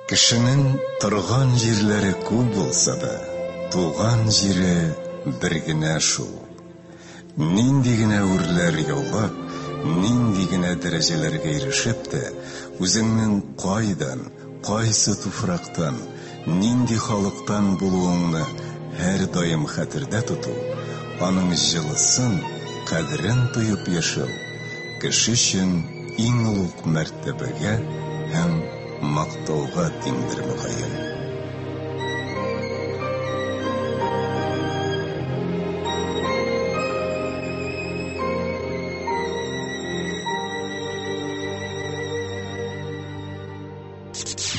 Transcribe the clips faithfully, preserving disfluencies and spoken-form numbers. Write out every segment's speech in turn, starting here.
Кешенең торган җирләре күп булса да, туган җире бер генә шул. Нинди генә үрләр яулап, нинди генә дәрәҗәләргә ирешеп тә, үзеңнең кайдан, кайсы туфрактан, нинди халыктан булуыңны һәрдаим хәтердә тоту, аның җылысын, кадерен тоеп яшәү, кеше өчен иң олуг мәртәбәгә һәм мактауга тиңдер мөгаен.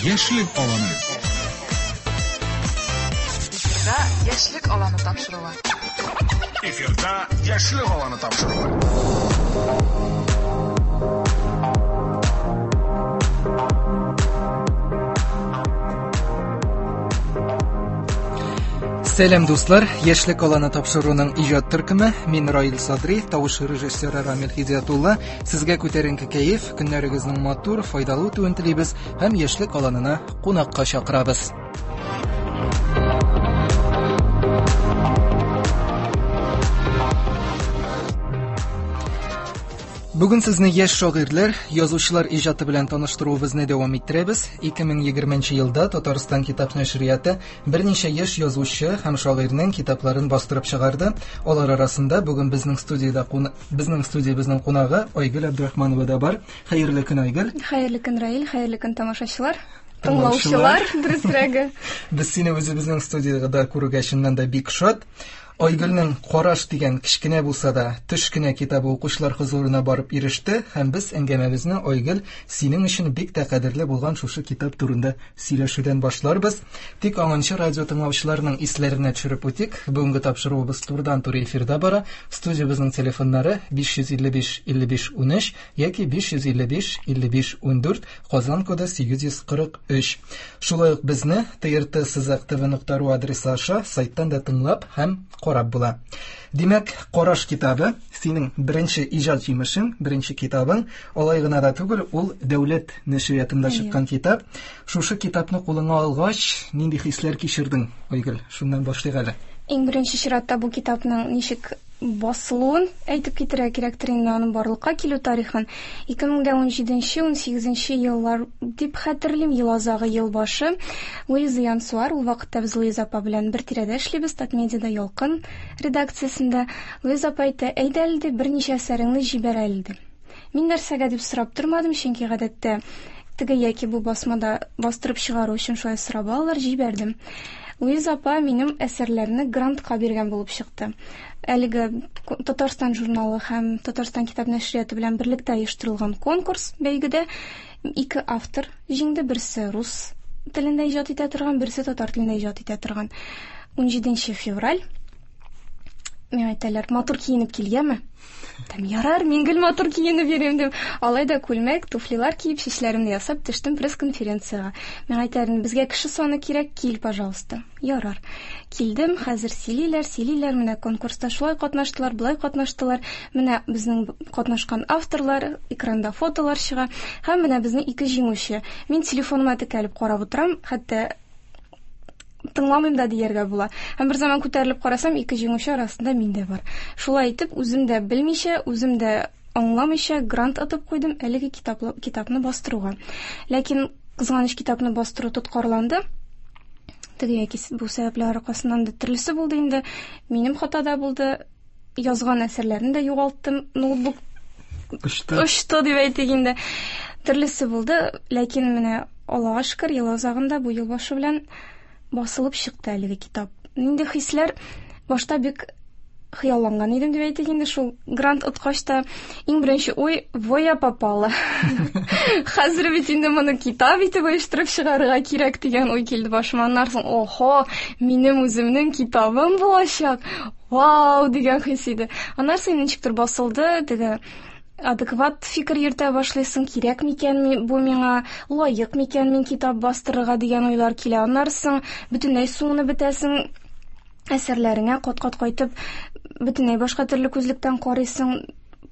Яшьлек аланы. Эфирда Яшьлек аланы тапшыруы. Эфирда Яшьлек аланы тапшыруы. Сәлам дуслар, Яшьлек аланы тапшыруының иҗат төркеме. Мин Раил Садри, тавыш режиссеры Рамил Хидиятулла. Сезгә күтәренке кәеф, көннәрегезнең матур, файдалы үтүен телибез һәм Яшьлек аланына кунакка чакырабыз. Бүген сезне яшь шагыйрьләр, язучылар иҗаты белән таныштыруыбызны дәвам иттерәбез. ике мең егерменче елда Татарстан китап нәшрияты берничә яшь язучы һәм шагыйрьнең китапларын бастырып чыгарды. Алар арасында бүген безнең студиядә куна-, безнең студиябезнең кунагы Айгөл Абдрахманова да бар. Хәерле көн, Айгөл. Хәерле көн, Раил, хәерле көн, тамашачылар. Тыңлаучылар. Тыңлаучылар, дөресрәге. Без сине үзебезнең студиядә күрүгә чыннан да бик шат. Айгөлнең Караш дигән кечкенә булса да төш кенә китабы укучылар хозурына барып иреште һәм без әңгәмәбезне Айгөл синең өчен бик тә кадерле булган шушы китап турында сөйләшүдән башларбыз. Тик аңынчы радио тыңлаучыларның исләренә төшереп үтик. Бүгенге тапшыруыбыз турыдан-туры эфирда бара. Студиябезнең телефоннары биш йөз илле биш илле биш унөч яки биш йөз илле биш илле биш ундүрт, Казан коды сигез йөз кырык өч. Шулай ук безне Т Р Т сызык Т В нокта ру адресы аша сайттан да тыңлап һәм карап була. Димәк, Караш китабы синең беренче иҗат җимешең, беренче китабың. Алай гына да түгел, ул дәүләт нәшриятында Әйе. чыккан китап. Шушы китапны кулыңа алгач, нинди хисләр кичердең, Айгөл? Шуннан башлыйк әле. Иң беренче чиратта бу китапның ничек басылуын әйтеп китерә кирәктер инде, аның барлыкка килү тарихын. Ике мең дә унҗиденче, унсигезенче еллар дип хәтерлим, ел азагы, ел башы. Луиза Янсуар, ул вакытта без Луиза апа белән бер тирәдә эшлибез, Татмедиада Ялкын редакциясендә. Луиза апа әйтә, әйдә әле ди, берничә әсәреңне җибәр әле ди. Мин нәрсәгә дип сорап тормадым, чөнки гадәттә теге яки бу басмада бастырып чыгару өчен шулай сорап алалар, җибәрдем. Луиза апа минем әсәрләрне грантка биргән булып чыкты. Әлеге Татарстан журналы һәм Татарстан китап нәшрияты белән берлектә оештырылган конкурс бәйгедә ике автор җиңде. Берсе рус телендә иҗат итә торган, берсе татар телендә иҗат итә торган. Унҗиденче февраль. Миңа әйтәләр, матур киенеп килгәнме? Әйтәм, ярар, мин гел матур киенеп йөрим дим. Алай да күлмәк, туфлилар киеп, чәчләремне ясап төштем пресс-конференциягә. Миңа әйтәләр, безгә кеше саны кирәк, кил, пожалуйста. Ярар. Килдем, хәзер сөйлиләр, сөйлиләр, менә конкурста шулай катнаштылар, болай катнаштылар. Менә безнең катнашкан авторлар, экранда фотолар чыга. Һәм менә безнең ике җиңүче. Мин телефоныма текәлеп карап утырам, хәтта тыңламыйм да дияргә була. Һәм бер заман күтәрелеп карасам, ике җиңүче арасында мин дә бар. Шулай итеп, үзем дә белмичә, үзем дә аңламыйча грант атып куйдым әлеге китаплы, китапны бастыруга. Ләкин кызганыч, китапны бастыру тоткарланды. Теге яки бу сәбәпләр аркасыннан да төрлесе булды инде. Минем хата да булды. Язган әсәрләрне дә югалттым. Ноутбук Очты. очты дип әйтик инде. Төрлесе булды, ләкин менә Аллага шөкер, ел азагында бу ел башы белән басылып чыкты әлеге китап. Нинди хисләр? Башта бик хыялланган идем дип әйтик инде, шул грант откач та иң беренче уй, во я попала. Хәзер бит инде моны китап итеп оештырып чыгарырга кирәк дигән уй килде башыма. Аннан соң, охо, минем үземнең китабым булачак. Вау дигән хис иде. Аннан соң ничектер басылды, теге адекват фикер йөртә башлыйсың, кирәк микән ми-, бу миңа, лаек микән мин китап бастырырга дигән уйлар килә. Аннан соң бөтенләй суынып бетәсең, әсәрләреңә кат-кат кайтып, бөтенләй башка төрле күзлектән карыйсың.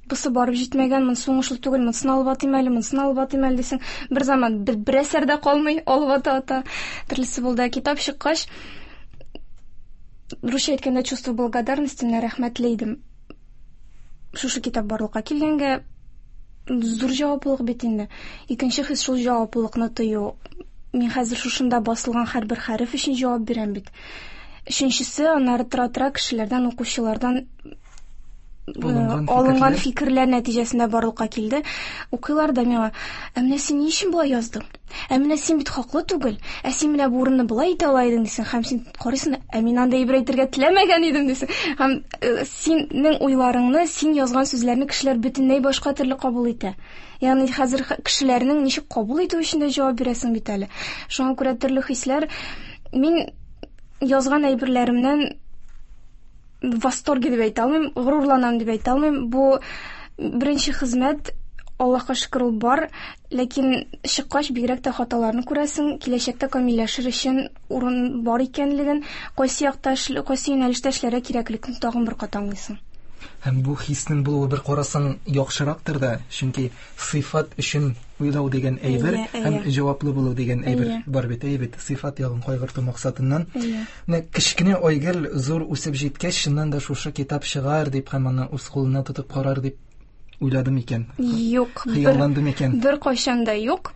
Бусы барып җитмәгән, монысы уңышлы түгел, монысын алып атыйм әле, монысын алып атыйм әле дисең. Бер заман бер, бер әсәр дә калмый, алып ата-ата. Төрлесе булды. Китап чыккач, русча әйткәндә чувство благодарности, менә рәхмәтле идем. Шушы китап барлыкка килгәнгә зур җаваплылык бит инде. Икенче хис шул җаваплылыкны тою. Мин хәзер шушында басылган һәрбер хәреф өчен җавап бирәм бит. Өченчесе, аннары тора-тора кешеләрдән, укучылардан Алынган алынган фикерләр. фикерләр нәтиҗәсендә барлыкка килде. Укыйлар да миңа, ә менә син ни өчен болай яздың? Ә менә син бит хаклы түгел. Ә син менә бу урынны болай итә ала идең дисең. Һәм син карыйсың, ә мин анда әйбер әйтергә теләмәгән идем дисең. Һәм синең уйларыңны, син язган сүзләрне кешеләр бөтенләй башка төрле кабул итә. Ягъни хәзер кешеләрнең ничек кабул итү өчен дә җавап бирәсең бит әле. Шуңа күрә төрле хисләр. Мин язган әйберләремнән в восторге дип әйтә алмыйм, горурланам дип әйтә алмыйм. Бу беренче хезмәт, Аллаһка шөкер, ул бар, ләкин чыккач бигрәк тә хаталарны күрәсең, киләчәктә камилләшер өчен урын бар икәнлеген, кайсы якта эшле, кайсы юнәлештә эшләргә кирәклеген тагын бер кат аңлыйсың. Һәм бу хиснең булуы бер карасаң яхшырактыр да, чөнки сыйфат өчен уйлау дигән әйбер Әйе, һәм әйе. җаваплы булу дигән әйбер Әйе. бар бит, әйе бит, сыйфат ягын кайгырту максатыннан. Әйе. Менә кечкенә Айгөл зур үсеп җиткәч, чыннан да шушы китап чыгар дип һәм аны үз кулына тотып карар дип уйладым икән? Юк, бер Хыялландым икән? Бер кайчан да юк.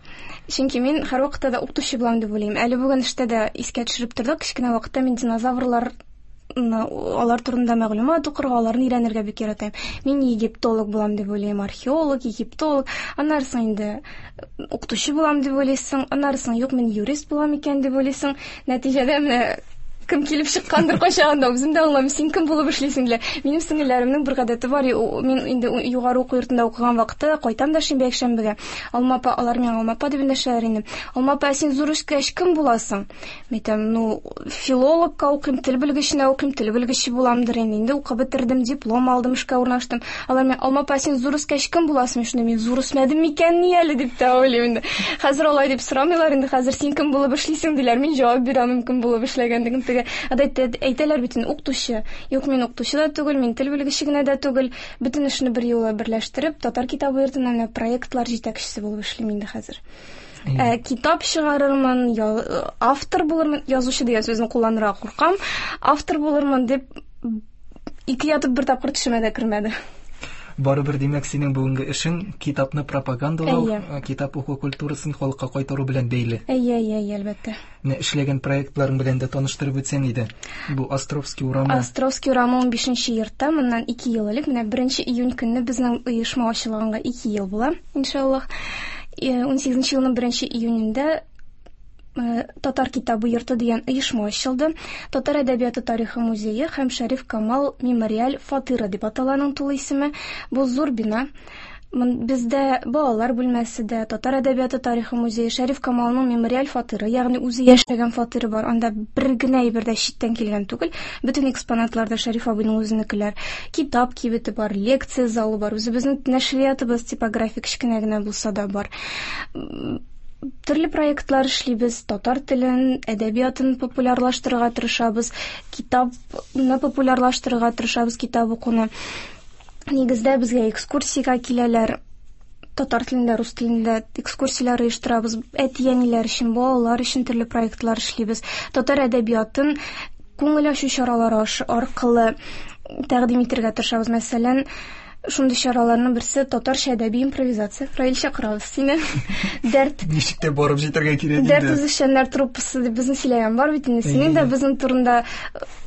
Чөнки мин һәрвакытта да укытучы булам дип уйлыйм. Әле бүген эштә дә искә төшереп тордык. Кечкенә вакытта мин динозаврлар алар турында мәгълүмат укырга, аларны өйрәнергә бик яратам. Мин египтолог булам дип уйлыйм, археолог, египтолог. Аннары соң инде укытучы булам дип уйлыйсың, аннары соң юк, мин юрист булам икән дип уйлыйсың. Нәтиҗәдә менә кем килеп чыккандыр кайчагында үзем дә аңламыйм, син кем булып эшлисең диләр. Минем сеңелләремнең бер гадәте бар, мин инде югары уку йортында укыган вакытта кайтам да шимбә якшәмбегә. Алма апа, алар миңа Алма апа дип эндәшәләр инде. Алма апа, син зур үскәч кем буласың? Мин әйтәм, ну, филологка укыйм, тел белгеченә укыйм, тел белгече буламдыр инде. Инде укып бетердем, диплом алдым, эшкә урнаштым. Алар миңа, Алма апа, син зур үскәч кем буласың? Мин шунда, мин зур үсмәдем микән ни әле дип тә уйлыйм инде. Хәзер алай дип сорамыйлар инде, хәзер син кем булып эшлисең диләр. Мин җавап бирә алмыйм кем булып эшләгәнлеген. Теге гадәттә әйтәләр бит инде, укытучы. Юк, мин укытучы да түгел, мин тел белгече генә дә түгел. Бөтен эшне бер юлы берләштереп, Татар китабы йортында менә проектлар җитәкчесе булып эшлим инде хәзер. Ә, китап чыгарырмын, автор булырмын, язучы дигән сүзне кулланырга куркам, автор булырмын дип ике ятып бер тапкыр төшемә дә кермәде. Барыбер, димәк, синең бүгенге эшең китапны пропагандалау, Әйе. китап уку культурасын халыкка кайтару белән бәйле. Әйе, әйе, әйе, әлбәттә. Менә эшләгән проектларың белән дә таныштырып үтсәң иде. Бу Островский урамы. Островский урамы унбишенче йортта, моннан ике ел элек, менә беренче июнь көнне безнең оешма ачылганга ике ел була, иншаллаһ. Унсигезенче елның беренче июнендә Татар китабы йорты дигән оешма ачылды. Татар әдәбияты тарихы музее һәм Шәриф Камал мемориаль фатиры дип атала аның тулы исеме. Бу зур бина. Бездә балалар бүлмәсе дә, Татар әдәбияты тарихы музее, Шәриф Камалның мемориаль фатиры, ягъни үзе яшәгән фатиры бар. Анда бер генә әйбер дә читтән килгән түгел. Бөтен экспонатлар да Шәриф абыйның үзенекеләр. Китап кибете бар, лекция залы бар, үзебезнең нәшриятыбыз типографик кечкенә генә булса да бар. Төрле проектлар эшлибез, татар телен, әдәбиятын популярлаштырырга тырышабыз, китапны популярлаштырырга тырышабыз, китап укуны. Нигездә безгә экскурсиягә киләләр, татар телендә, рус телендә экскурсияләр оештырабыз, әти-әниләр өчен, балалар өчен төрле проектлар эшлибез. Татар әдәбиятын күңел ачу чаралары аркылы тәкъдим итәргә тырышабыз. Мәсәлән, шундый чараларның берсе татарча әдәби импровизация. Раил, чакырабыз сине. Дәрт. Ничек тә барып җитәргә кирәк инде. Дәрт үзешчәннәр труппасы дип безне сөйләгән бар бит инде. Синең дә безнең турында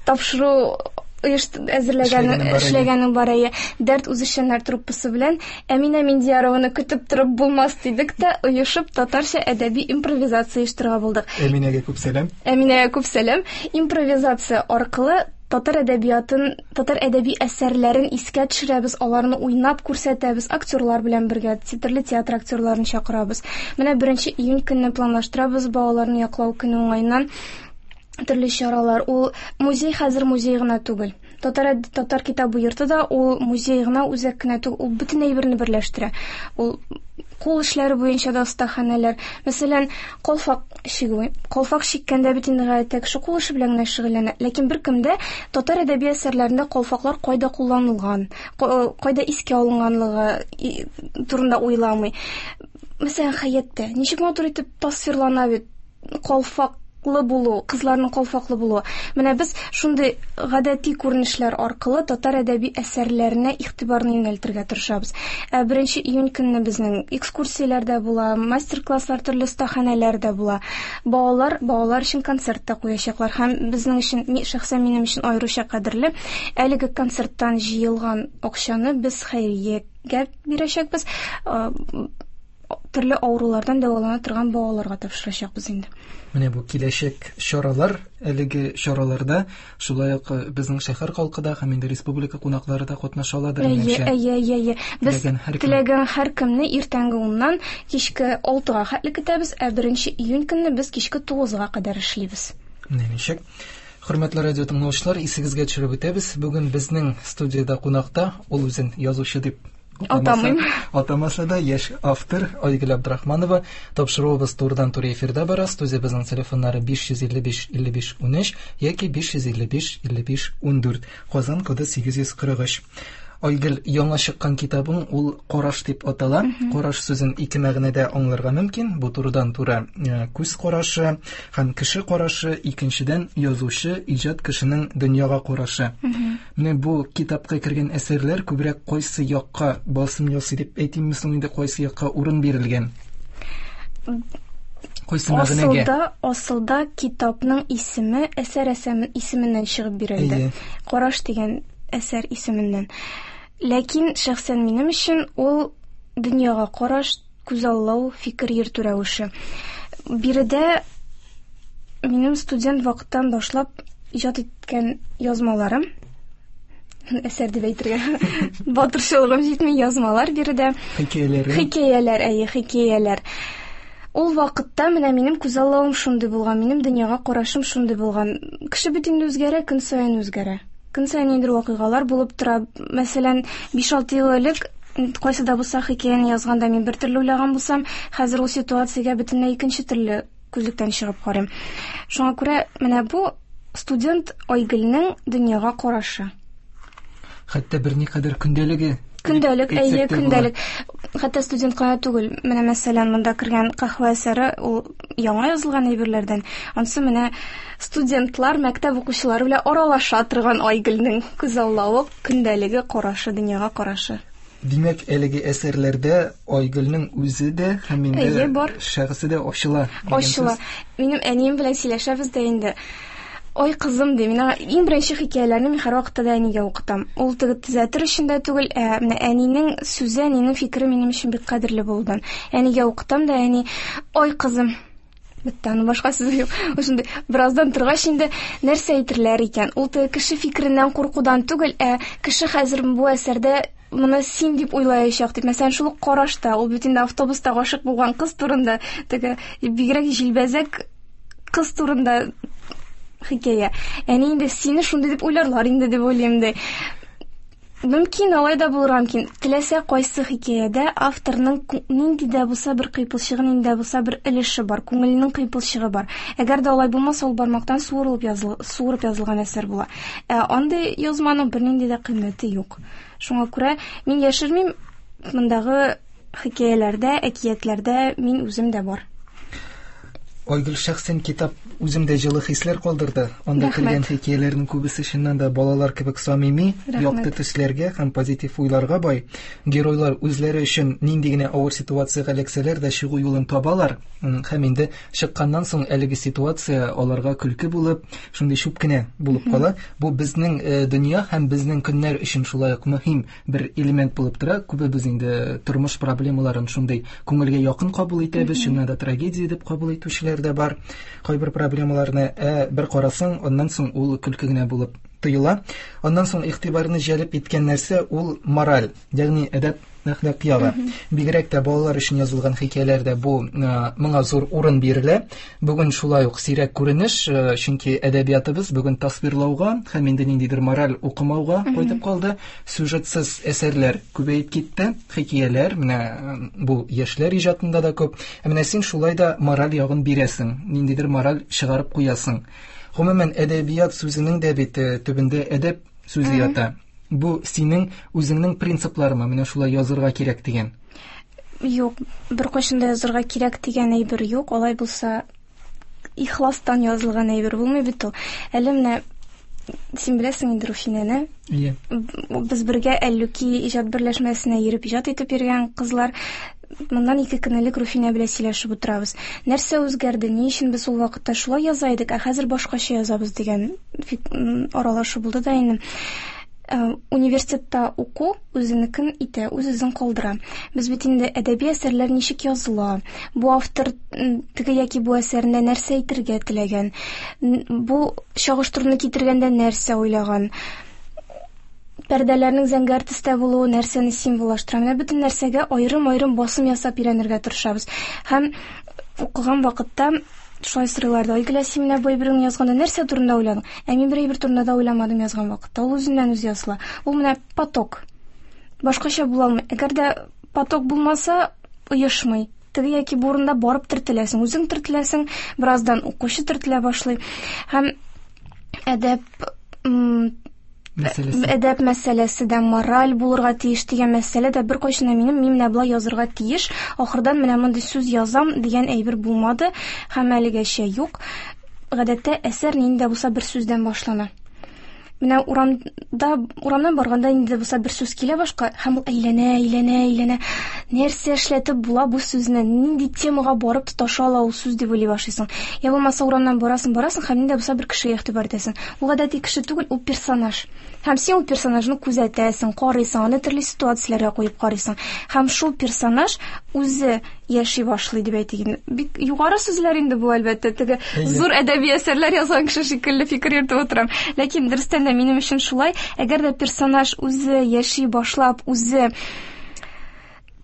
тапшыру әзерләгән, эшләгәнең бар, әйе. Дәрт үзешчәннәр труппасы белән Әминә Миндиярованы көтеп торып булмас дидек тә, оешып татарча әдәби импровизация оештырырга булдык. Әминәгә күп сәлам. Әминәгә күп сәлам. Импровизация аркылы татар әдәбиятын, татар әдәби әсәрләрен искә төшерәбез, аларны уйнап күрсәтәбез, актерлар белән бергә, төрле театр актерларын чакырабыз. Менә беренче июнь көнне планлаштырабыз балаларны яклау көне уңаеннан төрле чаралар. Ул музей хәзер музей гына түгел. Татар, татар китабы йорты да ул музей гына, үзәк кенә түгел, ул бөтен әйберне берләштерә. Ул Кул эшләре буенча да остаханәләр. Мәсәлән, калфак чигү. Калфак чиккәндә бит инде гадәттә кеше кул эше белән генә шөгыльләнә. Ләкин беркем дә татар әдәби әсәрләрендә калфаклар кайда кулланылган, кайда искә алынганлыгы турында уйламый. Мәсәлән, Хәяттә ничек матур итеп тасвирлана бит калфак булу, кызларның калфаклы булуы. Менә без шундый гадәти күренешләр аркылы татар әдәби әсәрләренә игътибарны юнәлтергә тырышабыз. Ә беренче июнь көнне безнең экскурсияләр дә була, мастер-класслар, төрле остаханәләр дә була. Балалар, балалар өчен концерт та куячаклар һәм безнең өчен, шәхсән минем өчен аеруча кадерле, әлеге концерттан җыелган акчаны без хәйриягә бирәчәкбез. Төрле авырулардан дәвалана торган балаларга тапшырачакбыз инде. Менә бу киләчәк чаралар, әлеге чараларда шулай ук безнең шәһәр халкы да һәм инде республика кунаклары да катнаша аладыр, минемчә. Әйе, әйе, әйе. Без теләгән һәркемне иртәнге уннан кичке алтыга хәтле көтәбез, ә беренче июнь көнне без кичке тугызга кадәр эшлибез. Менә ничек. Хөрмәтле радио тыңлаучылар, исегезгә төшереп үтәбез. Бүген безнең студиядә кунакта ул үзен язучы дип атамыйм. Атамаса да яшь автор Айгөл Абдрахманова. Тапшыруыбыз турыдан-туры эфирда бара. Студиябезнең телефоннары биш йөз илле биш илле биш унөч яки биш йөз илле биш илле биш ундүрт. Казан коды сигез йөз кырык өч. Айгөл, яңа чыккан китабың ул Караш дип атала. Караш сүзен ике мәгънәдә аңларга мөмкин. Бу турыдан-туры күз карашы һәм кеше карашы, икенчедән язучы, иҗат кешенең дөньяга карашы. Менә бу китапка кергән әсәрләр күбрәк кайсы якка басым ясый дип әйтимме соң инде, кайсы якка урын бирелгән? Кайсы мәгънәгә? Асылда, асылда китапның исеме әсәр исеменнән чыгып бирелде. Караш дигән әсәр исеменнән. Ләкин шәхсән минем өчен ул дөньяга караш, күзаллау, фикер йөртү рәвеше. Биредә минем студент вакыттан башлап иҗат иткән язмаларым, әсәр дип әйтергә батырчылыгым җитми, язмалар биредә. Хикәяләр. Хикәяләр, әйе, хикәяләр. Ул вакытта менә минем күзаллавым шундый булган, минем дөньяга карашым шундый булган. Кеше бит инде үзгәрә, көн саен үзгәрә. Көн саен ниндидер вакыйгалар булып тора. Мәсәлән, биш-алты ел элек кайсы да булса хикәяне язганда мин бер төрле уйлаган булсам, хәзер ул ситуациягә бөтенләй икенче төрле күзлектән чыгып карыйм. Шуңа күрә менә бу студент Айгөлнең дөньяга карашы. Хәтта берникадәр көндәлеге. Көндәлек, әйе, көндәлек. Хәтта студент кына түгел. Менә мәсәлән, монда кергән каһвә әсәре ул яңа язылган әйберләрдән. Ансы менә студентлар, мәктәп укучылары белән аралаша торган Айгөлнең күзаллавы, көндәлеге, карашы, дөньяга карашы. Димәк, әлеге әсәрләрдә Айгөлнең үзе дә һәм инде шәхесе дә ачыла. Ачыла. Минем әнием белән сөйләшәбез дә инде. Ой, кызым, ди, мин иң беренче хикәяләрне мин һәрвакытта да әнигә укытам. Ул теге төзәтер өчен дә түгел, ә менә әнинең сүзе, әнинең фикере минем өчен бик кадерле булды. Әнигә укытам да, әни, ой, кызым, бетте, аның башка сүзе юк. Шундый бераздан торгач инде нәрсә әйтерләр икән? Ул теге кеше фикереннән куркудан түгел, ә кеше хәзер бу әсәрдә моны син дип уйлаячак дип. Мәсәлән, шул ук карашта, ул бит инде автобуста гашык булган кыз турында, теге бигрәк җилбәзәк кыз турында хикәя. Әни инде сине шундый дип уйларлар инде дип уйлыйм ди. Мөмкин, алай да булырга мөмкин. Теләсә кайсы хикәядә авторның нинди дә булса бер кыйпылчыгы, нинди дә булса бер өлеше бар, күңеленең кыйпылчыгы бар. Әгәр дә алай булмаса, ул бармактан суырылып языл, суырып язылган әсәр була. Ә андый язманың бернинди дә кыйммәте юк. Шуңа күрә мин яшермим, мондагы хикәяләрдә, әкиятләрдә мин үзем дә бар. Айгөл, шәхсән китап үземдә җылы хисләр калдырды. Анда кергән хикәяләрнең күбесе чыннан да балалар кебек самими, якты төсләргә һәм позитив уйларга бай. Геройлар үзләре өчен нинди генә авыр ситуациягә эләксәләр дә чыгу юлын табалар. Һәм инде чыкканнан соң әлеге ситуация аларга көлке булып, шундый чүп кенә булып кала. Бу безнең дөнья һәм безнең көннәр өчен шулай ук мөһим бер элемент булып тора. Күбебез инде тормыш проблемаларын шундый күңелгә якын кабул итәбез, чыннан да трагедия дип кабул итүчеләр дә бар. Кайбер проблемаларны ә, бер карасаң, аннан соң ул көлке генә булып тоела. Аннан соң игътибарны җәлеп иткән нәрсә ул мораль, ягъни әдәп әхлак ягы. Бигрәк тә балалар өчен язылган хикәяләрдә бу моңа зур урын бирелә. Бүген шулай ук сирәк күренеш, чөнки әдәбиятыбыз бүген тасвирлауга һәм инде ниндидер мораль укымауга кайтып калды. Сюжетсыз әсәрләр күбәеп китте, хикәяләр менә бу яшьләр иҗатында да күп. Ә менә син шулай да мораль ягын бирәсең, ниндидер мораль чыгарып куясың. Гомумән, әдәбият сүзенең дә бит төбендә әдәп сүзе ята. Бу синең үзеңнең принципларыңмы? Менә шулай язырга кирәк дигән. Юк, беркайчан да язырга кирәк дигән әйбер юк. Алай булса, ихластан язылган әйбер булмый бит ул. Әле менә син беләсең инде Руфинәне. Иә. Без бергә Әллүки иҗат берләшмәсенә йөреп иҗат итеп йөргән кызлар. Моннан ике көн элек Руфинә белән сөйләшеп утырабыз. Нәрсә үзгәрде? Ни өчен без ул вакытта шулай яза идек, ә хәзер башкача язабыз дигән аралашу булды да инде. Университетта уку үзенекен итә, үз-үзен калдыра. Без бит инде әдәби әсәрләр ничек языла, бу автор теге яки бу әсәрендә нәрсә әйтергә теләгән, бу чагыштыруны китергәндә нәрсә уйлаган, пәрдәләрнең зәңгәр төстә булуы нәрсәне символлаштыра. Менә бөтен нәрсәгә аерым-аерым басым ясап өйрәнергә тырышабыз. Һәм укыган вакытта шулай сорыйлар да, Айгөл, син менә бу әйберне язганда нәрсә турында уйладың? Ә мин бер әйбер турында да уйламадым язган вакытта. Ул үзеннән үзе языла. Ул менә поток. Башкача була алмый. Әгәр дә поток булмаса, оешмый. Теге яки бу урында барып төртеләсең, үзең төртеләсең, бераздан укучы төртелә башлый. Һәм әдәп мәсьәләсе. Әдәп мәсьәләсе дә, мораль булырга тиеш дигән мәсьәлә дә беркайчан да минем, мин менә болай язырга тиеш, ахырдан менә мондый сүз язам дигән әйбер булмады һәм әлегәчә юк. Гадәттә әсәр нинди дә булса бер сүздән башлана. Менә урамда, урамнан барганда нинди дә булса бер сүз килә башка һәм ул әйләнә, әйләнә, әйләнә. Нәрсә эшләтеп була бу сүзне? Нинди темага барып тоташа ала ул сүз дип уйлый башлыйсың. Я булмаса урамнан барасың, барасың һәм нинди дә булса бер кешегә игътибар итәсең. Ул гадәти кеше түгел, ул персонаж. Һәм син ул персонажны күзәтәсең, карыйсың, аны төрле ситуацияләргә куеп карыйсың. Һәм шул персонаж үзе яши башлый дип әйтик инде. Бик югары сүзләр инде бу, әлбәттә, теге зур әдәби әсәрләр язган кеше шикелле фикер йөртеп утырам. Ләкин дөрестән дә минем өчен шулай, әгәр дә персонаж үзе яши башлап, үзе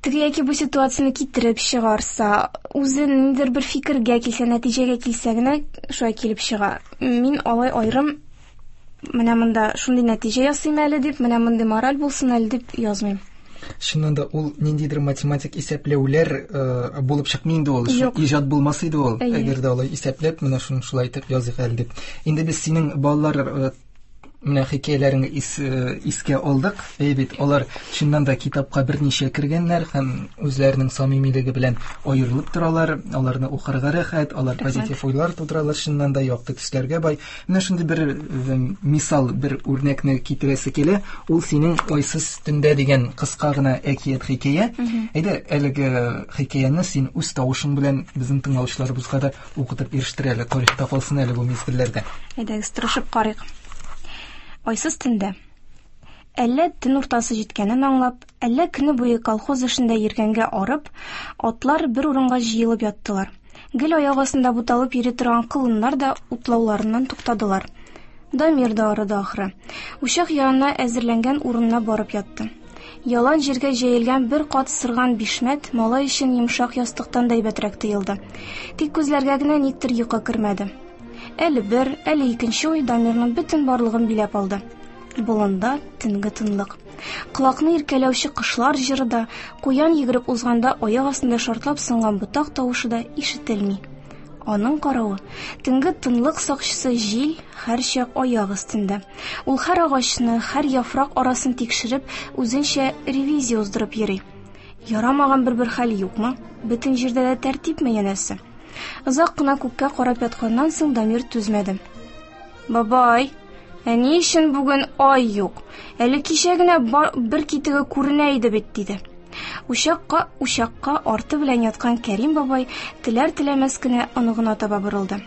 теге яки бу ситуацияне китереп чыгарса, үзе ниндидер бер фикергә килсә, нәтиҗәгә килсә генә шулай килеп чыга. Мин алай аерым менә монда шундый нәтиҗә ясыйм әле дип, менә мондый мораль булсын әле дип язмыйм. Чыннан да ул ниндидер математик исәпләүләр э, булып чыкмый инде ул. Иҗат булмас иде ул. Әгәр дә алай исәпләп, менә шуны шулай итеп языйк әле дип. Инде без синең балалар э, менә хикәяләреңне ис, искә алдык. Әй бит, алар чыннан да китапка берничә кергәннәр һәм үзләренең самимилеге белән аерылып торалар. Аларны укырга рәхәт, алар позитив уйлар тудыралар, чыннан да якты төсләргә бай. Менә шундый бер мисал, бер үрнәкне китерәсе килә. Ул синең Айсыз төндә дигән кыска гына әкият хикәя. Әйдә, әлеге хикәяне син үз тавышың белән безнең тыңлаучыларыбызга да укытып ирештер әле, тарихта калсын әле бу мизгелләрдә. Әйдәгез, тырышып карыйк. Айсыз төндә. Әллә төн уртасы җиткәнен аңлап, әллә көне буе колхоз эшендә йөргәнгә арып, атлар бер урынга җыелып яттылар. Гел аяк астында буталып йөри торган колыннар да утлауларыннан туктадылар. Дамир да арыды ахры. Учак янына әзерләнгән урынына барып ятты. Ялан җиргә җәелгән бер кат сырган бишмәт малай өчен йомшак ястыктан да әйбәтрәк тоелды. Тик күзләргә генә никтер йокы кермәде. Әле бер, әле икенче уй Дамирның бөтен барлыгын биләп алды. Болында төнге тынлык. Колакны иркәләүче кошлар җыры да, куян йөгереп узганда аяк астында шартлап сынган ботак тавышы да ишетелми. Аның каравы, төнге тынлык сакчысы җил һәрчак аяк өстендә. Ул һәр агачны, һәр яфрак арасын тикшереп, үзенчә ревизия уздырып йөри. Ярамаган бер-бер хәл юкмы? Бөтен җирдә дә тәртипме янәсе? Озак кына күккә карап ятканнан соң Дамир түзмәде. Бабай, ә ни өчен бүген ай юк? Әле кичә генә бер китеге күренә иде бит, диде. Учакка, учакка арты белән яткан Кәрим бабай теләр-теләмәс кенә оныгына таба борылды.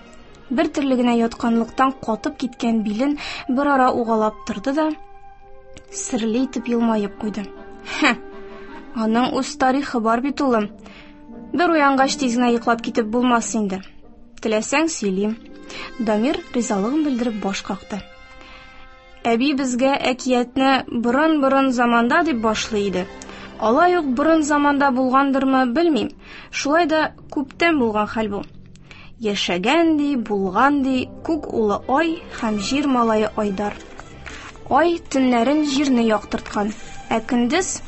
Бер төрле генә ятканлыктан катып киткән билен бер ара угалап торды да, серле итеп елмаеп куйды. Хә, аның үз тарихы бар бит, улым. Бер уянгач тиз генә йоклап китеп булмас инде. Теләсәң сөйлим. Дамир ризалыгын белдереп баш какты. Әби безгә әкиятне борын-борын заманда дип башлый иде. Алай ук борын заманда булгандырмы, белмим. Шулай да күптән булган хәл бу. Яшәгән ди, булган ди, күк улы Ай һәм җир малае Айдар. Ай төннәрен җирне яктырткан, ә көндез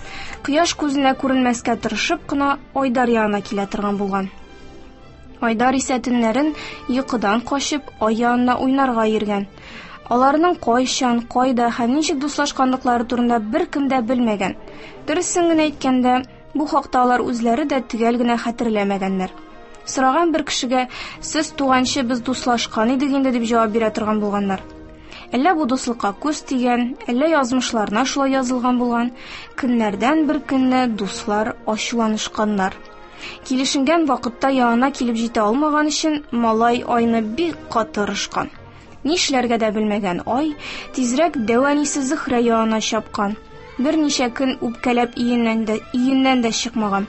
кояш күзенә күренмәскә тырышып кына Айдар янына килә торган булган. Айдар исә төннәрен йокыдан качып Ай янына уйнарга йөргән. Аларның кайчан, кайда һәм ничек дуслашканлыклары турында беркем дә белмәгән. Дөресен генә әйткәндә, бу хакта алар үзләре дә төгәл генә хәтерләмәгәннәр. Сораган бер кешегә, "Сез туганчы без дуслашкан идек инде" дип җавап бирә торган булганнар. Әллә бу дуслыкка күз тигән, әллә язмышларына шулай язылган булган. Көннәрдән бер көнне дуслар ачуланышканнар. Килешенгән вакытта янына килеп җитә алмаган өчен малай Айны бик каты орышкан. Нишләргә дә белмәгән Ай тизрәк дәү әнисе Зөһрә янына чапкан. Берничә көн үпкәләп өеннән дә, өеннән дә чыкмаган.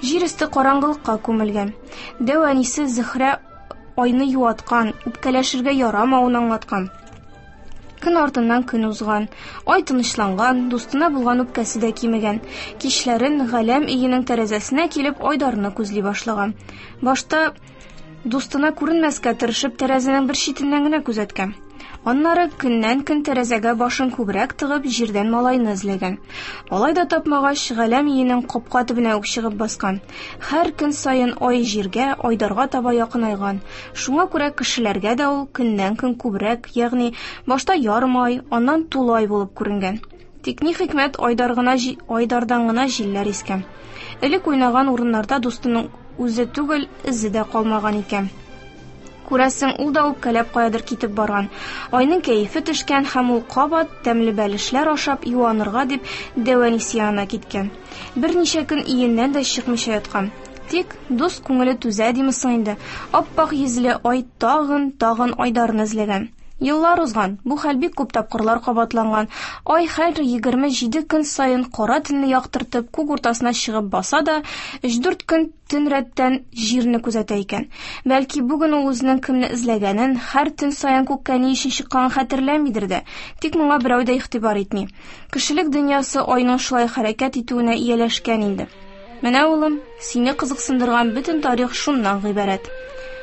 Җир өсте караңгылыкка күмелгән. Дәү әнисе Зөһрә Айны юаткан, үпкәләшергә ярамавын аңлаткан. Көн артыннан көн узган. Ай тынычланган, дустына булган үпкәсе дә кимегән. Кичләрен галәм өенең тәрәзәсенә килеп Айдарны күзли башлаган. Башта дустына күренмәскә тырышып тәрәзәнең бер читеннән генә күзәткән. Аннары көннән-көн тәрәзәгә башын күбрәк тыгып җирдән малайны эзләгән. Алай да тапмагач, галәм өенең капка төбенә үк чыгып баскан. Һәр көн саен Ай җиргә, Айдарга таба якынайган. Шуңа күрә кешеләргә дә ул көннән-көн күбрәк, ягъни башта ярым ай, аннан тулы ай булып күренгән. Тик ни хикмәт, Айдар гына Айдардан гына җилләр искән. Элек уйнаган урыннарда дустының үзе түгел, эзе дә калмаган икән. Күрәсең, ул да үпкәләп каядыр китеп барган. Айның кәефе төшкән һәм ул кабат тәмле бәлешләр ашап юанырга дип дәү әнисе янына киткән. Берничә көн өеннән дә чыкмыйча яткан. Тик дус күңеле түзә димесең инде. Аппак йөзле Ай тагын, тагын Айдарны эзләгән. Еллар узган, бу хәл бик күп тапкырлар кабатланган. Ай һәр егерме җиде көн саен кара төнне яктыртып, күк уртасына чыгып баса да, өч-дүрт көн төн рәттән җирне күзәтә икән. Бәлки бүген ул үзенең кемне эзләгәнен, һәр төн саен күккә ни өчен чыкканын хәтерләмидер дә. Тик моңа берәү дә игътибар итми. Кешелек дөньясы Айның шулай хәрәкәт итүенә ияләшкән инде. Менә, улым, сине кызыксындырган бөтен тарих шуннан гыйбарәт.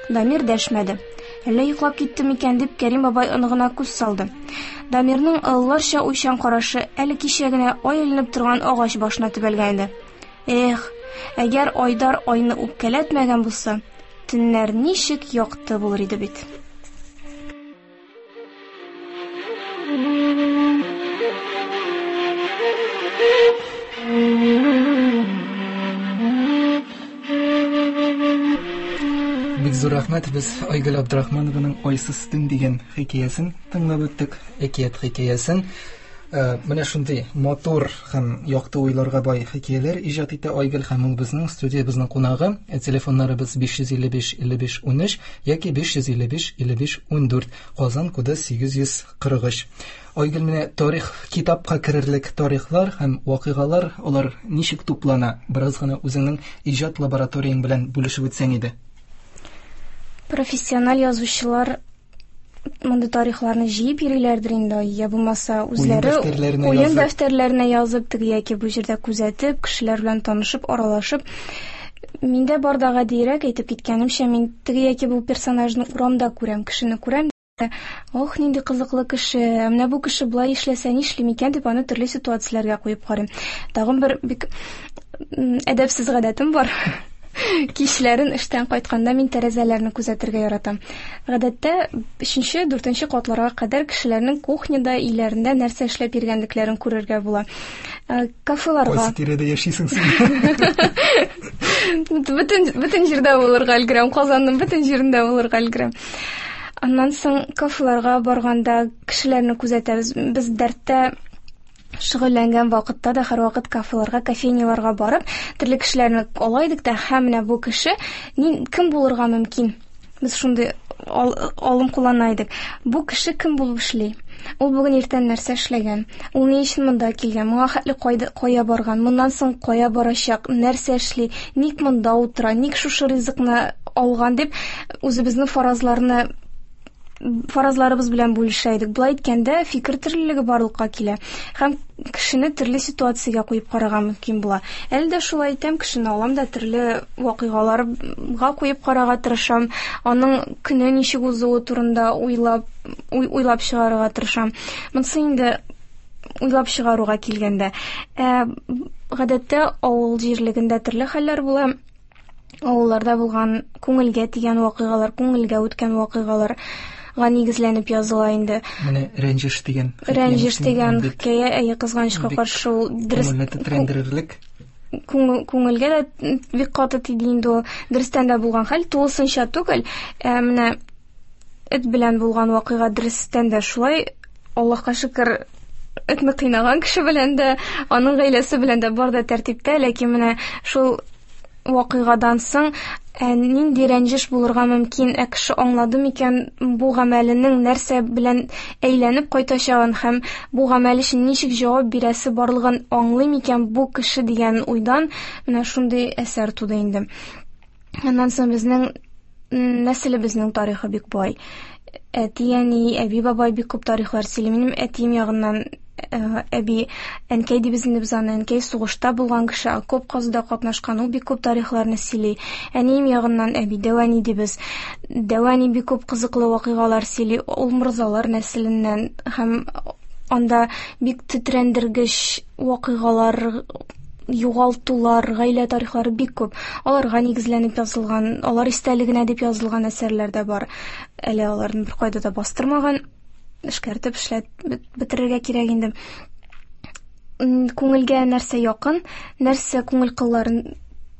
Дамир дәшмәде. Әллә йоклап китте микән дип Кәрим бабай оныгына күз салды. Дамирның ылларча уйчан карашы әле кичә генә ай эленеп торган агач башына төбәлгән иде. Эх, әгәр Айдар Айны үпкәләтмәгән булса, төннәр ничек якты булыр иде бит. Бик зур рәхмәт, без Айгөл Абдрахманованың Айсыз төн дигән хикәясен тыңлап үттек, әкият хикәясен. Менә шундый матур һәм якты уйларга бай хикәяләр иҗат итә Айгөл, һәм ул безнең студиябезнең кунагы. Телефоннарыбыз биш йөз илле биш илле биш унөч яки биш йөз илле биш илле биш ундүрт, Казан коды сигез йөз кырык өч. Айгөл, менә тарих китапка керерлек тарихлар һәм вакыйгалар, алар ничек туплана? Бераз гына үзеңнең иҗат лабораторияң белән бүлешеп үтсәң иде. Профессиональ язучылар мондый тарихларны җыеп йөриләрдер инде, я булмаса үзләре уен дәфтәрләренә язып, теге яки бу җирдә күзәтеп, кешеләр белән танышып, аралашып. Миндә бар да гадиерәк, әйтеп киткәнемчә, мин теге яки бу персонажны урамда күрәм, кешене күрәм. Ох, нинди кызыклы кеше, менә бу кеше болай эшләсә нишлим икән дип аны төрле ситуацияләргә куеп карыйм. Тагын бер бик әдәпсез гадәтем бар. Кичләрен эштән кайтканда мин тәрәзәләрне күзәтергә яратам. Гадәттә өченче, дүртенче катларга кадәр кешеләрнең кухняда, өйләрендә нәрсә эшләп йөргәнлекләрен күрергә була. Кафеларга. Кайсы тирәдә яшисең син? Бөтен, бөтен җирдә булырга өлгерәм, Казанның бөтен җирендә булырга өлгерәм. Аннан соң кафеларга барганда кешеләрне күзәтәбез. Без дәрттә шөгыльләнгән вакытта да һәрвакыт кафеларга, кофейняларга барып, төрле кешеләрне ала идек тә, һәм менә бу кеше кем булырга мөмкин? Без шундый алым куллана идек. Бу кеше кем булып эшли? Ул бүген иртән нәрсә эшләгән? Ул ни өчен монда килгән? Моңа хәтле кая барган? Моннан соң кая барачак? Нәрсә эшли? Ник монда утыра? Ник шушы ризыкны алган дип үзебезнең фаразларны фаразларыбыз белән бүлешә идек. Болай әйткәндә, фикер төрлелеге барлыкка килә һәм кешене төрле ситуациягә куеп карарга мөмкин була. Әле дә шулай әйтәм, кешене алам да төрле вакыйгаларга куеп карарга тырышам, аның көне ничек узуы турында уйлап, уй, уйлап чыгарырга тырышам. Монысы инде уйлап чыгаруга килгәндә. Ә, гадәттә авыл җирлегендә төрле хәлләр була. Авылларда булган күңелгә тигән вакыйгалар, күңелгә үткән вакыйгаларга нигезләнеп языла инде. Менә Рәнҗеш дигән Рәнҗеш дигән хикәя, әйе, кызганычка каршы ул дөрес күңелне тетрәндерерлек. Күңелгә дә бик каты тиде инде ул. Дөрестән дә булган хәл, тулысынча түгел. Ә менә эт белән булган вакыйга дөрестән дә шулай, Аллаһка шөкер, этне кыйнаган кеше белән дә, аның гаиләсе белән дә бар да тәртиптә, ләкин менә шул вакыйгадан соң ә, нинди рәнҗеш булырга мөмкин, ә кеше аңлады микән бу гамәленең нәрсә белән әйләнеп кайтачагын һәм бу гамәл өчен ничек җавап бирәсе барлыгын аңлый микән бу кеше дигән уйдан менә шундый әсәр туды инде. Аннан соң безнең нәселебезнең тарихы бик бай. Әти, әни, әби, бабай бик күп тарихлар сөйли. Минем әтием ягыннан әби, әнкәй дибез инде без аны, әнкәй сугышта булган кеше, окоп казуда катнашкан, ул бик күп тарихларны сөйли. Әнием ягыннан әби, дәү әни дибез. Дәү әни бик күп кызыклы вакыйгалар сөйли, ул морзалар нәселеннән һәм анда бик тетрәндергеч вакыйгалар, югалтулар, гаилә тарихлары бик күп. Аларга нигезләнеп язылган, алар истәлегенә дип язылган әсәрләр дә бар. Әле аларны беркайда да бастырмаган, эшкәртеп эшләп бетерергә кирәк инде. Күңелгә нәрсә якын, нәрсә күңел кылларын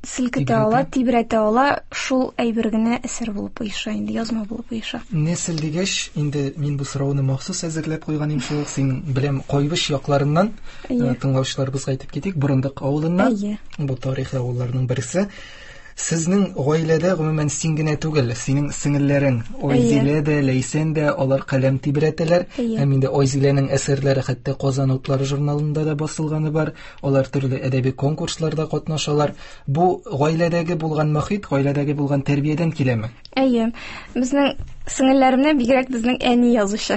селкетә ала, тибрәтә ала, шул әйбер генә әсәр булып оеша инде, язма булып оеша. Нәсел дигәч, инде мин бу сорауны махсус әзерләп куйган идем, шул син беләм Кайбыч якларыннан тыңлаучыларыбызга әйтеп китик, Борындык авылыннан. Бу тарихи авылларның берсе. Сезнең гаиләдә гомумән син генә түгел, синең сеңелләрең Айзилә дә, Ләйсән дә, алар каләм тибрәтәләр. Һәм инде Айзиләнең әсәрләре хәтта Казан утлары журналында да басылганы бар. Алар төрле әдәби конкурсларда катнашалар. Бу гаиләдәге булган мохит, гаиләдәге булган тәрбиядән киләме? Әйе. Безнең сеңелләремнән бигрәк безнең әни язучы.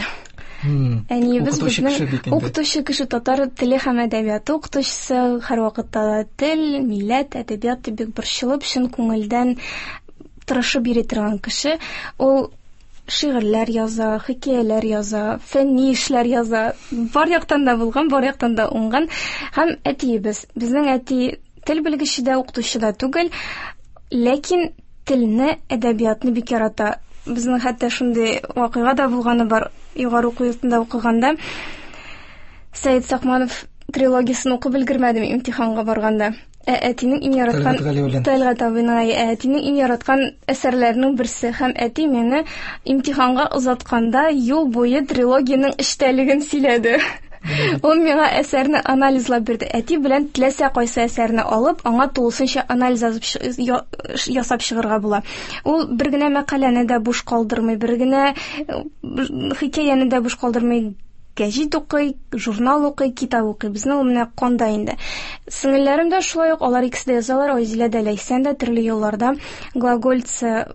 Әниебез безнең укытучы кеше, татар теле һәм әдәбияты укытучысы, һәрвакытта да тел, милләт, әдәбият дип бик борчылып, чын күңелдән тырышып йөри торган кеше. Ул шигырьләр яза, хикәяләр яза, фәнни эшләр яза. Бар яктан да булган, бар яктан да уңган. Һәм әтиебез, безнең әти тел белгече дә, укытучы да түгел, ләкин телне, әдәбиятны бик ярата. Безнең хәтта шундый вакыйга да булганы бар. Югары уку йортында укыганда Сәет Сакманов трилогиясын укып өлгермәдем имтиханга барганда. Ә әтинең иң яраткан Тәлгать абыйның, ә әтинең иң яраткан әсәрләренең берсе, һәм әти мине имтиханга озатканда юл буе трилогиянең эчтәлеген сөйләде. Ул миңа әсәрне анализлап бирде. Әти белән теләсә кайсы әсәрне алып, аңа тулысынча анализ ясап чыгарга була. Ул бер генә мәкаләне дә буш калдырмый, бер генә хикәяне дә буш калдырмый. Гәҗит укый, журнал укый, китап укый. Безнең ул менә канда инде. Сеңелләрем дә шулай ук, алар икесе дә язалар, Айзилә дә, Ләйсән дә төрле елларда глагольцы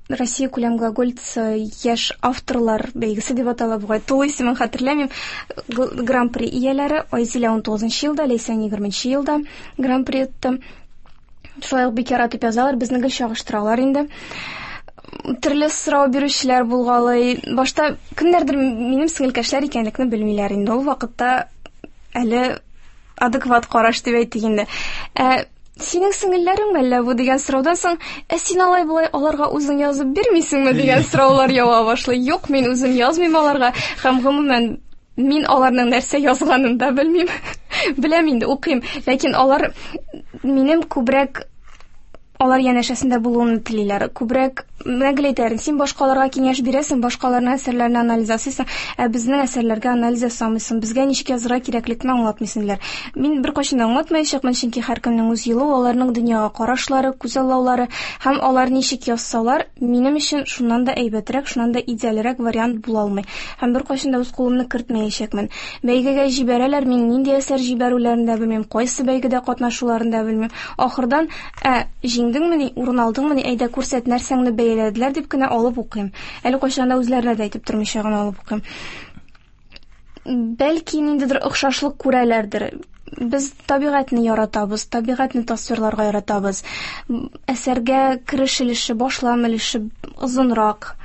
Россия күләм глагольцы яшь авторлар бәйгесе дип атала бугай. Тулы исемен хәтерләмим. Гран-при ияләре Айзилә ун тугызынчы елда, Ләйсән егерменче елда гран-при отты. Шулай ук бик яратып язалар, безне гел чагыштыралар инде. Төрле сорау бирүчеләр булгалый. Башта кемнәрдер минем сеңелкәшләр икәнлекне белмиләр инде. Ул вакытта әле адекват караш дип әйтик инде. Ә синең сеңелләрең әллә бу дигән сораудан соң, ә син алай болай аларга үзең язып бирмисеңме дигән сораулар ява башлый. Юк, мин үзем язмыйм аларга, һәм гомумән мин аларның нәрсә язганын да белмим. Беләм инде, укыйм, ләкин алар минем күбрәк алар янәшәсендә булуымны телиләр. Күбрәк менә гел әйтәләр, син башкаларга киңәш бирәсең, башкаларның әсәрләренә анализ ясыйсың, ә безнең әсәрләргә анализ ясамыйсың, безгә ничек язырга кирәклекне аңлатмыйсың диләр. Мин беркайчан да аңлатмаячакмын, чөнки һәркемнең үз юлы, аларның дөньяга карашлары, күзаллаулары һәм алар ничек язсалар, минем өчен шуннан да әйбәтрәк, шуннан да идеальрәк вариант була алмый. Һәм беркайчан да үз кулымны кертмәячәкмен. Бәйгегә җибәрәләр, мин нинди әсәр җибәрүләрен дә белмим, кайсы бәйгедә катнашуларын да белмим. Ахырдан, ә җиңдең Сөендеңмени, урын алдыңмыни, әйдә күрсәт, нәрсәңне бәяләделәр дип кенә алып укыйм. Әле кайчан да үзләренә дә әйтеп тормыйча гына алып укыйм. Бәлки ниндидер охшашлык күрәләрдер. Без табигатьне яратабыз, табигатьне тасвирларга яратабыз. Әсәргә кереш өлеше, башлам өлеше озынрак.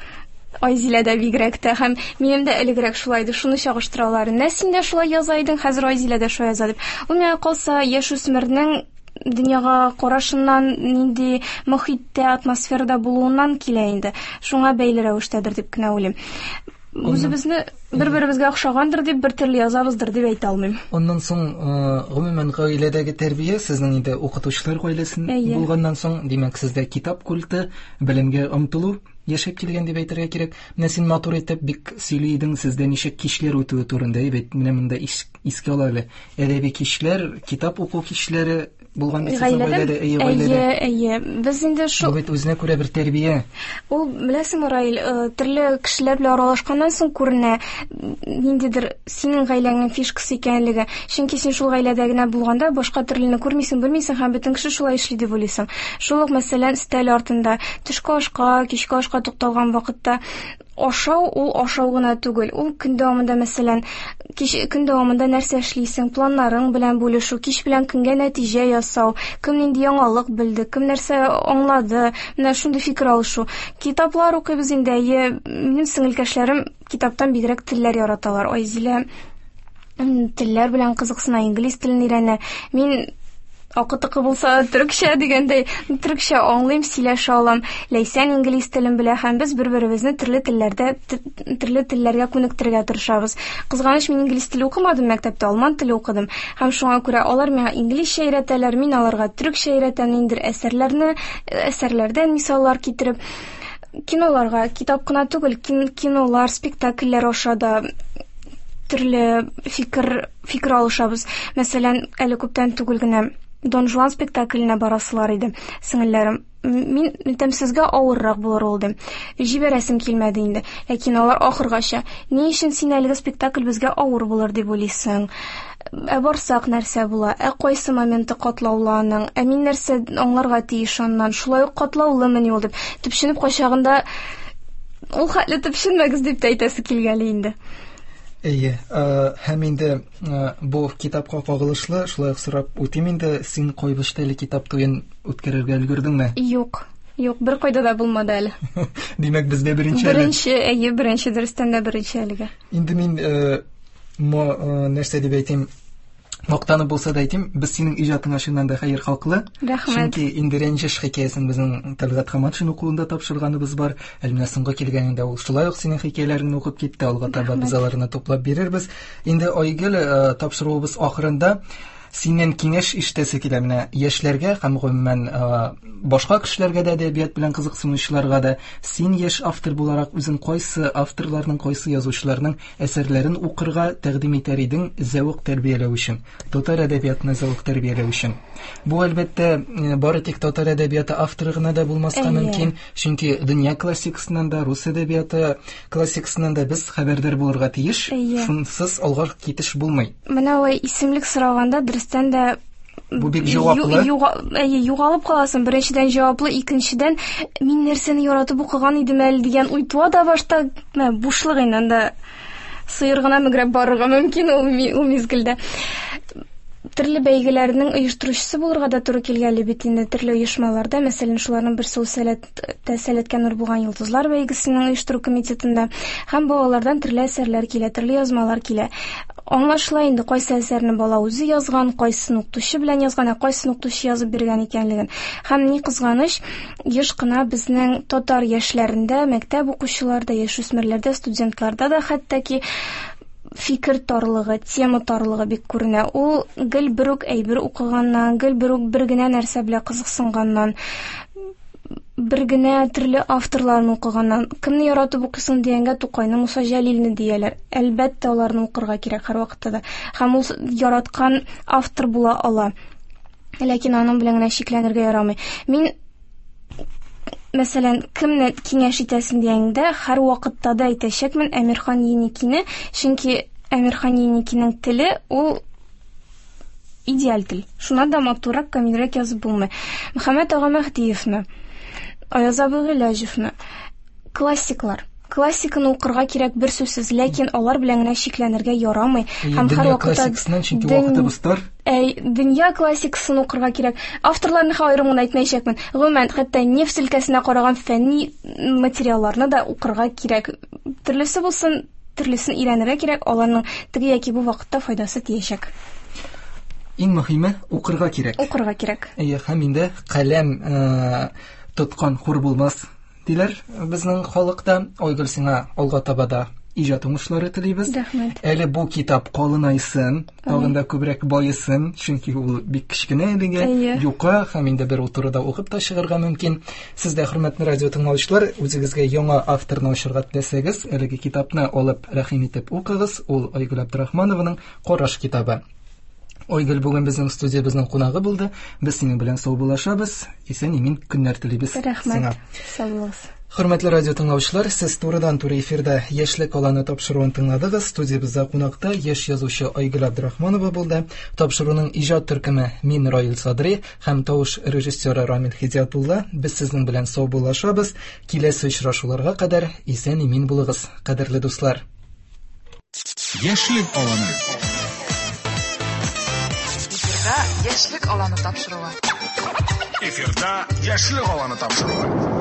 Айзилә дә бигрәк тә, һәм минем дә элегрәк шулай иде, шуны чагыштыралар. Менә син дә шулай яза идең, хәзер Айзилә дә шулай яза дип. Ул миңа калса, яшүсмернең дөньяга карашыннан, нинди мохиттә, атмосферада булуыннан килә инде. Шуңа бәйле рәвештәдер дип кенә уйлыйм. Үзебезне бер-беребезгә охшагандыр дип, бер төрле язабыздыр дип әйтә алмыйм. Аннан соң, гомумән, гаиләдәге тәрбия, сезнең инде укытучылар гаиләсен булганнан соң, димәк, сездә китап культы, белемгә омтылу яшәп килгән дип әйтергә кирәк. Менә син матур итеп бик сөйли идең, сездә ничек кичләр үтүе турында, әйбәт. Менә монда искә ала әле. Әдәби кичләр, китап уку кичләре булган бит сезнең гаиләдә, әйе, гаиләдә. Әйе, әйе. Без инде шул Бу бит үзенә күрә бер тәрбия. Ул, беләсеңме, Раил, төрле кешеләр белән аралашканнан соң күренә ниндидер синең гаиләңнең фишкасы икәнлеге. Чөнки син шул гаиләдә генә булганда башка төрлене күрмисең, белмисең һәм бөтен кеше шулай эшли дип уйлыйсың. Шул ук, мәсәлән, өстәл артында төшке ашка, кичке ашка тукталган вакытта ашау ул ашау гына түгел. Ул көн дәвамында, мәсәлән, кич, көн дәвамында нәрсә эшлисең, планнарың белән бүлешү, кич белән көнгә нәтиҗә ясау, кем нинди яңалык белде, кем нәрсә аңлады, менә шундый фикер алышу. Китаплар укыйбыз инде, әйе, минем сеңелкәшләрем китаптан бигрәк телләр яраталар. Айзилә телләр белән кызыксына, инглиз телен өйрәнә. Мин акы-тыкы булса төркчә дигәндәй, төркчә аңлыйм, сөйләшә алам. Ләйсән инглиз телен белә һәм без бер-беребезне төрле телләрдә, төрле телләргә күнектерергә тырышабыз. Кызганыч, мин инглиз теле укымадым мәктәптә, алман теле укыдым. Һәм шуңа күрә алар миңа инглизчә өйрәтәләр, мин аларга төркчә өйрәтәм, ниндидер әсәрләрне, әсәрләрдән мисаллар китереп. Киноларга, китап кына түгел, кинолар, спектакльләр аша да төрле фикер, фикер алышабыз. Мәсәлән, әле күптән түгел генә Дон Жуан спектакленә барасылар иде, сеңелләрем. Мин әйтәм, сезгә авыррак булыр ул дим. Җибәрәсем килмәде инде. Ләкин алар ахыргача, ни өчен син әлеге спектакль безгә авыр булыр дип уйлыйсың? Ә барсак нәрсә була? Ә кайсы моменты катлаулы аның? Ә мин нәрсә аңларга тиеш аннан? Шулай ук катлаулымыни ул дип. Төпченеп кайчагында ул хәтле төпченмәгез дип тә әйтәсе килгәли инде. Әйе, һәм инде бу китапка кагылышлы шулай ук сорап үтим инде, син Кайбычта әле китап туен үткәрергә өлгердеңме? Юк, юк, бер кайда да булмады әле. Димәк, бездә беренче әле. Беренче, әйе, беренче, дөрестән дә беренче әлегә. Инде мин нәрсә дип әйтим, мактанып булса да әйтим, без синең иҗатыңа чыннан да хәер хаклы. Рәхмәт. Чөнки инде Рәнҗеш хикәясен безнең Тәлгать Хаматшин укуында тапшырганыбыз бар. Әле менә соңгы килгәнендә ул шулай ук синең хикәяләреңне укып китте. Алга таба без аларны туплап бирербез. Инде Айгөл, тапшыруыбыз ахырында синнән киңәш ишетәсе килә. Менә яшьләргә һәм гомумән башка кешеләргә дә, әдәбият белән кызыксынучыларга да, син яшь автор буларак үзең кайсы авторларның, кайсы язучыларның әсәрләрен укырга тәкъдим итәр идең зәвык тәрбияләү өчен, татар әдәбиятына зәвык тәрбияләү өчен? Бу әлбәттә бары тик татар әдәбияты авторы гына да булмаска мөмкин, чөнки дөнья классикасыннан да, рус әдәбияты классикасыннан да без хәбәрдар булырга тиеш. Шунсыз алга китеш булмый. Менә алай исемлек сораганда дөрестән дә бу бик җаваплы. Әйе, югалып каласың. Беренчедән җаваплы, икенчедән мин нәрсәне яратып укыган идем әле дигән уй туа да башта, менә бушлык инде, анда сыер гына мөгрәп барырга мөмкин ул, ул мизгелдә. Төрле бәйгеләрнең оештыручысы булырга да туры килгәли бит инде төрле оешмаларда. Мәсәлән, шуларның берсе ул Сәләт, Сәләткә нур булган йолдызлар бәйгесенең оештыру комитетында. Һәм балалардан төрле әсәрләр килә, төрле язмалар килә. Аңлашыла инде, кайсы әсәрне бала үзе язган, кайсын укытучы белән язган, ә кайсын укытучы язып биргән икәнлеген. Һәм ни кызганыч, еш кына безнең татар яшьләрендә, мәктәп укучыларда, яшүсмерләрдә, студентларда да хәтта ки фикер тарлыгы, тема тарлыгы бик күренә. Ул гел бер үк әйбер укыганнан, гел бер үк бер генә нәрсә белән кызыксынганнан, бер генә төрле авторларны укыганнан. Кемне яратып укыйсың дигәнгә Тукайны, Муса Җәлилне дияләр. Әлбәттә, аларны укырга кирәк һәрвакытта да. Һәм ул яраткан автор була ала. Ләкин аның белән генә чикләнергә ярамый. Мин, мәсәлән, кемне киңәш итәсең дигәндә, һәр вакытта да әйтәчәкмен Әмирхан Еникине, чөнки Әмирхан Еникинең теле ул Идеаль тел. Шуннан да матуррак, камилрәк язып булмый. Мөхәммәт ага Мәһдиевне, Аяз абый Гыйләҗевне, классиклар. Классиканы укырга кирәк бер сүзсез, ләкин алар белән генә чикләнергә ярамый. Һәм һәр вакытта чөнки вакытыбыз тар. Әй, дөнья классикасын укырга кирәк. Авторларны аерым гына әйтмәячәкмен. Гомумән, хәтта нефть өлкәсенә караган фәнни материалларны да укырга кирәк. Төрлесе булсын, төрлесен өйрәнергә кирәк, аларның теге яки бу вакытта файдасы тиячәк. Иң мөһиме укырга кирәк. Укырга кирәк. Әйе, һәм инде каләм тоткан хур булмас диләр безнең халыкта. Айгөл, сиңа алга таба да иҗат уңышлары телибез. Рәхмәт. Әле бу китап калынайсын, тагын да күбрәк байысын, чөнки ул бик кечкенә әлегә, юка, һәм инде бер утыруда укып та чыгарга мөмкин. Сез дә, хөрмәтле радио тыңлаучылар, үзегезгә яңа авторны ачырга теләсәгез, әлеге китапны алып рәхим итеп укыгыз. Ул Айгөл Абдрахманованың Караш китабы. Айгөл бүген безнең студиябезнең кунагы булды. Без синең белән саубуллашабыз. Исән-имин көннәр телибез. Рәхмәт. Сау булыгыз. Хөрмәтле радио тыңлаучылар, сез турыдан-туры эфирда Яшьлек аланы тапшыруын тыңладыгыз. Студиябездә кунакта яшь язучы Айгөл Абдрахманова булды. Тапшыруның иҗат төркеме мин Раил Садри һәм тавыш режиссеры Рамил Хидиятулла. Без сезнең белән саубуллашабыз. Киләсе очрашуларга кадәр исән-имин булыгыз, кадерле дуслар. Яшьлек аланы. Эфирда Яшьлек аланы тапшыруы. Эфирда Яшьлек аланы тапшыруы.